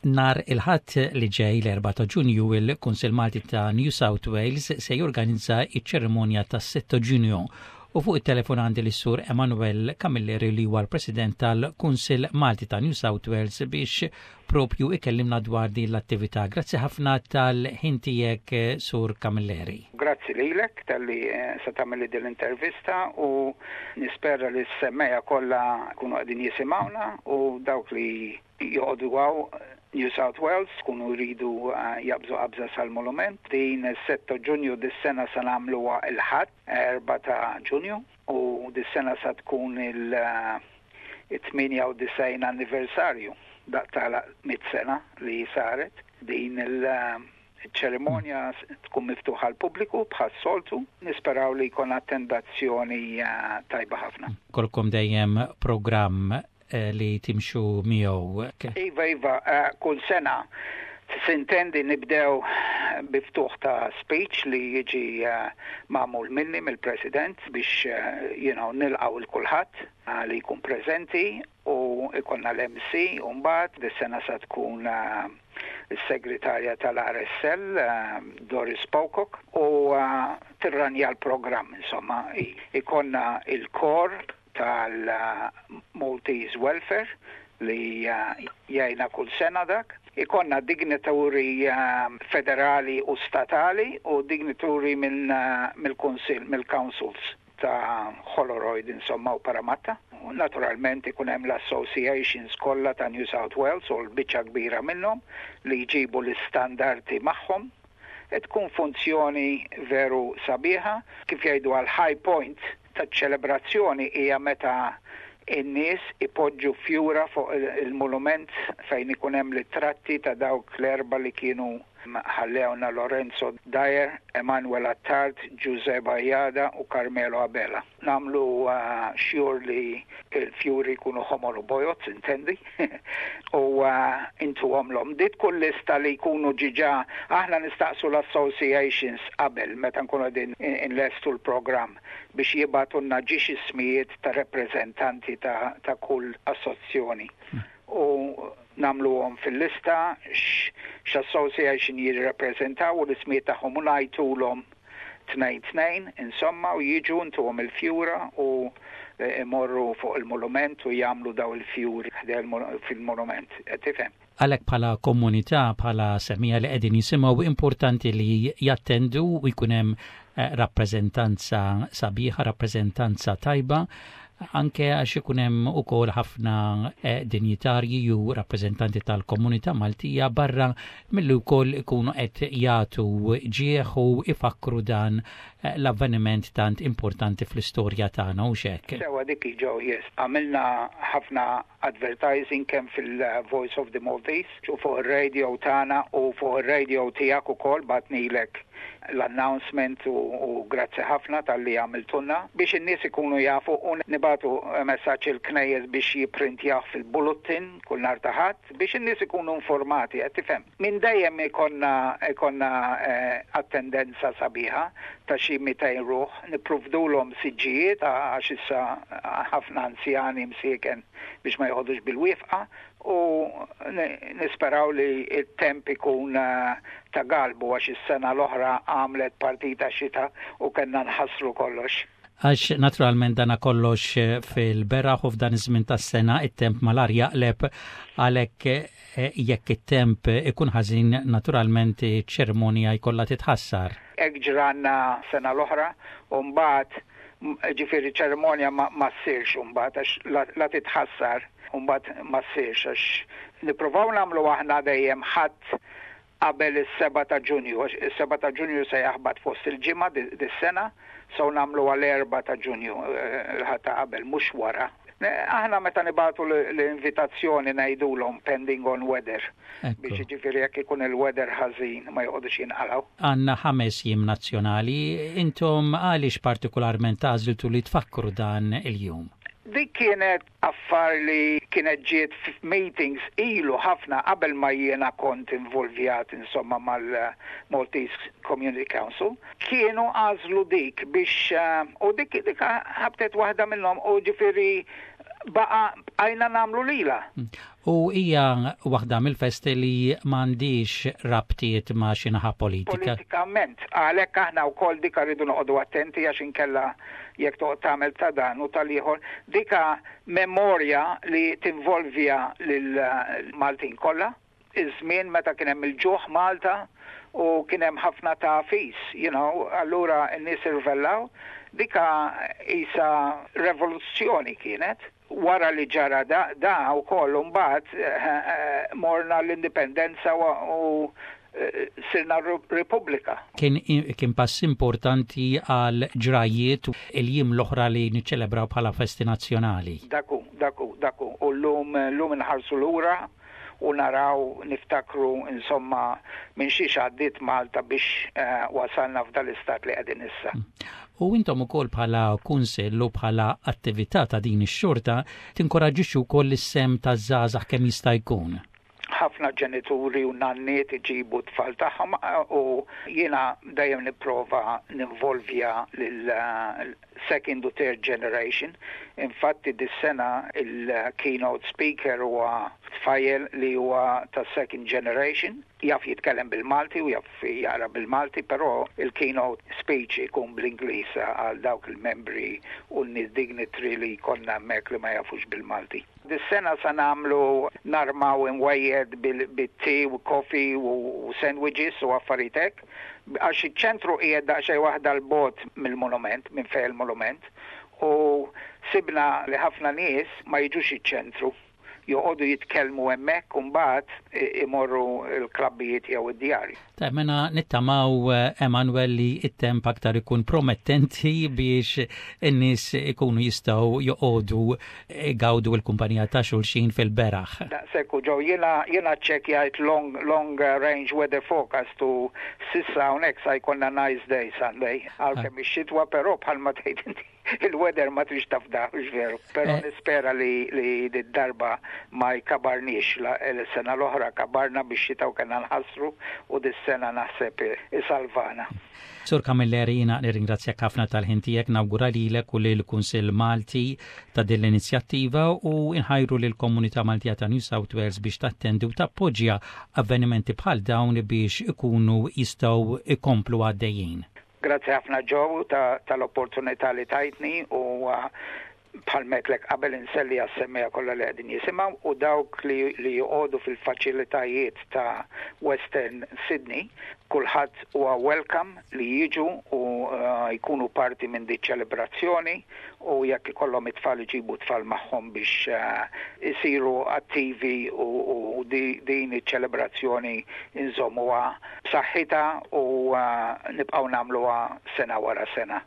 Nhar il-Ħadd li ġej l-4 ta' Ġunju il-Kunsill Malti ta' New South Wales se jorganizza iċ-ċerimonja tas-6 ta' Ġunju u fuq it-telefon għandi lis-Sur Emanuel Camilleri li huwa l-President tal-Kunsill Malti ta' New South Wales biex propju ikellimna dwar din l-attività. Grazzi ħafna tal-ħin tiegħek Sur Camilleri. Grazzi lilek talli eh, se tagħmel din l-intervista u nispera li s-semmejja kollha jkunu qegħdin jisimgħuna u dawk li joqogħdu hawn New South Wales tkunu jridu eh, jaqbżu qabża sal-monument. Din is-6 Ġunju dis-sena se nagħmluha il-Ħadd 4 ta' Ġunju u dis-sena sa tkun il-98 anniversarju daq tagħlaq mit sena li saret din il- ċerimonja tkun miftuħa għall-pubbliku bħas-soltu. Nisperaw li jkun attendazzjoni eh, tajba ħafna. Kolkom dejjem programm eh, li timxu miegħu. Iva, iva, eh, kull sena sintendi nibdew biftuħ ta' speech li jiġi magħmul minni mill-President biex you know, nilqgħu 'l kulħadd li jkun preżenti u ikollna l-MC u mbagħad dis-sena sa tkun is-segretarja tal-RSL Doris Pocock u tirranja l-programm insomma ikollna il-kor tal-Maltese Welfare li jgħina kull sena dak. Ikollna dignituri federali u statali u dignituri mill-kunsill, mill-councils ta' Holroyd insomma u Parramatta. U naturalment ikun hemm l-associations kollha ta' New South Wales u l-biċċa kbira minnhom li jġibu l-istandardi magħhom. E tkun funzjoni veru sabiħa, kif jgħidu għal high point taċ-ċelebrazzjoni hija meta in-nies ipoġġu fjura fuq il-monument fejn ikun hemm ritratti ta' dawk l-erba' li kienu ħallewna Lorenzo Dyer, Emanuel Attard, Giuseppe Bajada u Carmelo Abela. Nagħmlu sure li il-fjuri jkunu ħomor u bojod, intendi, u intuhomlhom. Di tkun lista li jkunu ġiġa aħna nistaqsu l-associations qabel meta nkunu qegħdin inlestu l-programm biex jibagħtulna ġiex ismijiet ta' rappreżentanti ta', ta kull assozzjoni. U nagħmluhom fil-lista x'association jirrepreżentaw u l-ismijiet tagħhom u ngħidulhom tnejn tnejn, insomma, u jiġu ntuhom il-fjura u imorru fuq il-monument u jagħmlu daw il-fjuri fil-monument. Tifhem? Għalhekk bħala komunità, bħala semmiegħa li qegħdin jisimgħu importanti li jattendu u jkun hemm eh, rappreżentanza sabiħa, rappreżentanza tajba anke għax ikun hemm ukoll ħafna eh, dinjitarji u rappreżentanti tal-komunità Maltija barra milli wkoll ikunu qed jagħtu ġieħ u ifakru dan eh, l-avveniment tant importanti fl-istorja tagħna u xek. Sewa dik ġew yes. Għamilna ħafna advertising kemm fil-Voice of the Maltese u fuq ir-radio tagħna u fuq ir-radio tiegħek ukoll bgħatnielek l-announcement u, u grazzi ħafna talli għamiltulna biex in-nies ikunu jafu u nibagħtu messaġġ il-knejjes biex jipprintjaw fil-bulletin kull nhar ta' Ħadd biex in-nies ikunu informati qed tifhem. Minn dejjem ikollna ikollna eh, attendenza sabiħa ta' xi 200 ruħ, nipprovdulhom siġġijiet għax issa ħafna anzjani msieken biex ma joqogħdux bil-wieqfa u nisperaw li il-temp ikun eh, ta' galbu għax is-sena l-oħra għamlet partita xita u kellna nħassru kollox. Għax naturalment dana kollox eh, fil-beraħ u f'dan iż-żmien tas-sena it-temp malar jaqleb għalhekk eh, jekk it-temp ikun ħażin naturalment iċ-ċerimonja jkollha titħassar. Hekk ġralna sena l-oħra u mbagħad ġifieri ċerimonja ma, ma ssirx mbagħad għax la, la titħassar u mbagħad ma ssirx għax nippruvaw nagħmlu aħna dejjem ħadd qabel is-7 ta' Ġunju, għax is-7 ta' Ġunju se jaħbat fost il-ġimgħa dis-sena, so nagħmlu għal 4 ta' Ġunju eh, il-ħadd ta' qabel mhux wara. Aħna meta nibagħtu l-invitazzjoni ngħidulhom pending on weather biex jiġifieri jekk ikun il-weather ħażin ma joqogħdux jinqalgħu. Għandna ħames jiem nazzjonali, intom għaliex partikolarment għażiltu li tfakkru dan il-jum? Dik kienet affar li kienet ġiet f'meetings ilu ħafna qabel ma jiena kont involvjat insomma mal-Maltese Community Council. Kienu għażlu dik biex u dik dik ħabtet waħda minnhom u ġifieri Baqa bqajna nagħmlu lila. U hija waħda mill-festi li m'għandix rabtiet ma' xi naħa politika. Politikament, għalhekk aħna wkoll dika rridu noqogħdu attenti, għax inkella jekk toqgħod tagħmel ta' dan u tal-ieħor, dika memorja li tinvolvja lil Maltin kollha, iż-żmien meta kien hemm il-ġuħ Malta u kien hemm ħafna tagħfis, allura n-nies irvellaw, dika isa revoluzzjoni kienet. Wara li ġara da, da u koll mbagħad morna l-indipendenza u sirna Repubblika. Kien pass importanti għal ġrajiet il-jiem l-oħra li niċċelebraw bħala festi nazzjonali. Daku, daku, daku. U l-lum nħarsu lura u naraw, niftakru insomma minn xiex għaddiet Malta biex wasalna f'dal-istat li qegħdin issa. U intom ukoll bħala kunsill u bħala attività ta' din ix-xorta tinkoraġġixxu wkoll is-sehem taż-żgħażagħ kemm jista' jkun. Ħafna ġenituri u nanniet iġibu tfal tagħhom u jiena dejjem nipprova ninvolvja lil second u third generation. Infatti dis-sena il-keynote speaker huwa tfajjel li huwa ta' second generation, jaf jitkellem bil-Malti u jaf jaqra bil-Malti, però il-keynote speech ikun bl-Ingliż għal dawk il-membri u n-nies dignitary li jkollna hemmhekk li ma jafux bil-Malti. Dis-sena sa nagħmlu narmaw imwejjed bil-tea u coffee u sandwiches u affarijiet hekk, għax iċ-ċentru qiegħed daqsxejn waħda 'l bogħod mill-monument, minn fejn il-monument, u sibna li ħafna nies ma jiġux iċ-ċentru, joqogħdu jitkellmu hemmhekk u mbagħad imorru l-klabbijiet jew id-djar. Ta' mena nittamaw, Emanuel, li it-temp aktar ikun promettenti biex in-nies ikunu jistgħu joqogħdu gawdu l-kumpanija ta' xulxin fil-beraħ. Daqshekk ġew jiena ċċekkjajt long range weather forecast u s'issa hawnhekk sa jkollna nice day Sunday. Għalkemm ix-xitwa, però bħalma tgħid inti, il-weather ma trix tafda, veru. Però nispera li darba ma jkabarniex. Il-sena l-oħra kabarna biex xita u kellna nħassru u dis-sena naħseb isalvana. Sur Camilleri, jiena nirringrazzjak ħafna tal-ħin tiegħek, nawgura lilek u lill-Kunsill Malti ta' din l-inizjattiva u inħajru lill-komunità Maltija ta' New South Wales biex tattendi u tappoġġja avvenimenti bħal dawn biex ikunu jistgħu ikomplu għaddejjin. Grazzi ħafna, Joe, tal-opportunità li tajtni u bħalma għedtlek qabel inselli għas-semmiegħa kollha li qegħdin jisimgħu u dawk li joqogħdu fil-faċilitajiet ta' Western Sydney, kulħadd huwa welcome li jiġu u jkunu parti minn di ċelebrazzjoni u jekk ikollhom it-tfal iġibu tfal magħhom biex isiru attivi u din iċ-ċelebrazzjoni inżommuha b'saħħitha u nibqgħu nagħmluha sena wara sena.